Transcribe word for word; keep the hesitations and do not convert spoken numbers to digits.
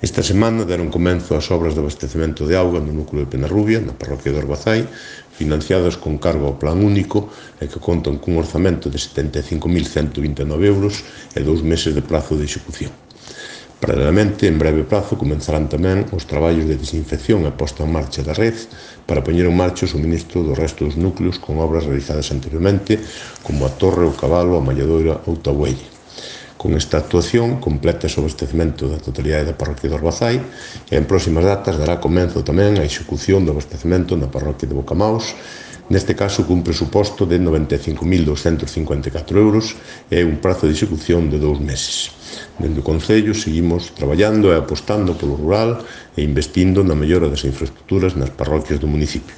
Esta semana deron comenzo as obras de abastecemento de auga no núcleo de Penarrubia, na parroquia de Orbazai, financiadas con cargo ao plan único e que contan cun orzamento de setenta e cinco mil cento vinte e nove euros e dous meses de prazo de execución. Paralelamente, en breve prazo, comenzarán tamén os traballos de desinfección e posta en marcha da red para poñer en marcha o suministro do resto dos núcleos con obras realizadas anteriormente, como a Torre, o Cabalo, a Malladoira ou Tabuelle. Con esta actuación, complétase o abastecemento da totalidade da parroquia de Orbazai e en próximas datas dará comenzo tamén a execución do abastecemento na parroquia de Bocamaus. Neste caso, cun presuposto de noventa e cinco mil douscentos cincuenta e catro euros e un prazo de execución de dous meses. Dende o Concello seguimos traballando e apostando polo rural e investindo na mellora das infraestructuras nas parroquias do municipio.